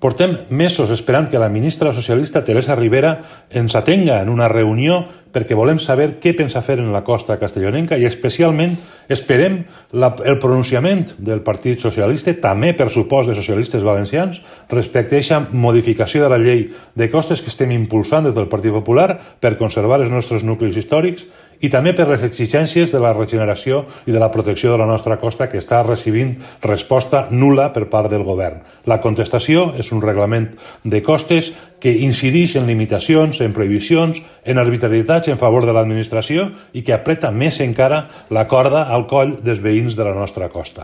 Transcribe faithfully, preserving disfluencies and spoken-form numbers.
Portem mesos esperant que la ministra socialista Teresa Ribera ens atenga en una reunió perquè volem saber què pensa fer en la costa castellonenca i especialment esperem la, el pronunciament del Partit Socialista, també per supost de socialistes valencians, respecte a aquesta modificació de la llei de costes que estem impulsant des del Partit Popular per conservar els nostres nuclis històrics i també per les exigències de la regeneració i de la protecció de la nostra costa que està recibint resposta nul·la per part del govern. La contestació és un reglament de costes que incideix en limitacions, en prohibicions, en arbitrarietats en favor de l'administració i que apreta més encara la corda al coll dels veïns de la nostra costa.